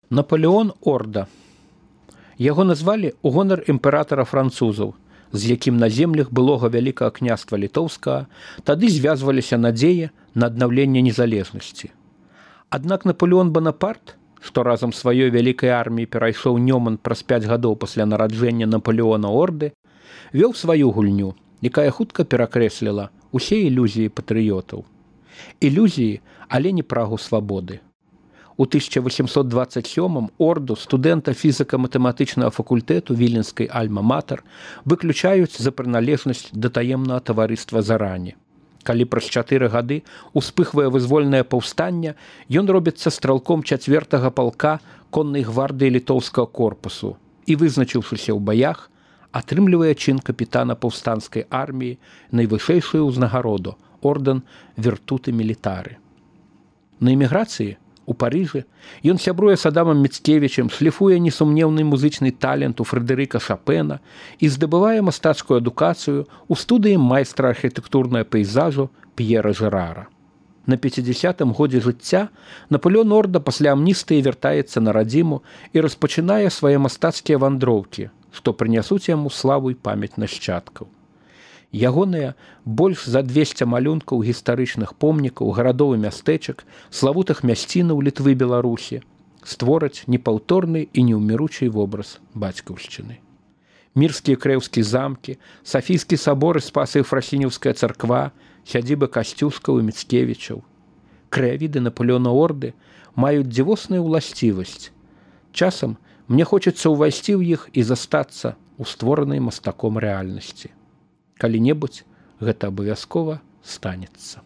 Напалеон Орда. Яго назвалі ў гонар імператара французаў, з якім на землях былога вялікага княства літоўскага тады звязваліся надзеі на аднаўленне незалежнасці. Аднак Напалеон Банапарт, што разам з сваёй вялікай арміяй перайшоў Нёман праз 5 гадоў пасля нараджэння Напалеона Орды, вёў сваю гульню, якая хутка перакрэсліла усе ілюзіі патрыётаў. Ілюзіі, але не прагу свабоды. У 1827 Орду студэнта фізіка-матэматычнага факультэту Віленскай Альма-Матэр выключаюць за прыналежнасць да таемнага таварыства Зарані. Калі праз 4 гады успыхвае вызвольнае паўстанне, ён робіцца стралком 4-го палка коннай гвардыі літоўскага корпусу і, вызначыўшыся ў баях, атрымлівае чын капітана паўстанцкай арміі, найвышэйшую ўзнагароду – ордэн Віртуты Мілітары. На эміграцыі у Парыжы ён сябруе з Адамам Міцкевічам, шліфуе несумнеўны музычны талент у Фрэдэрыка Шапена і здабывае мастацкую адукацыю ў студыі майстра архітэктурнага пейзажу П'ера Жерара. На 50-м годзе жыцця Напалеон Орда пасля амністыі вяртаецца на радзіму і распачынае свае мастацкія вандроўкі, што прынясуць яму славу і памяць нашчадкаў. Ягоныя больш за 200 малюнкаў гістарычных помнікаў, гарадоў і мястэчак, славутых мясцінаў Літвы і Беларусі створаць непаўторны і неўміручы вобраз бацькаўшчыны. Мірскія крэўскія замкі, Сафійскі сабор і Спаса-Ефрасінеўская царква, сядзібы Касцюшкаў і Міцкевічаў. Краявіды Напалеона Орды маюць дзівосную ўласцівасць. Часам мне хочацца ўвайсці ў іх і застацца ў створанай мастаком рэальнасці. Калі-небудзь гэта абавязкова станецца.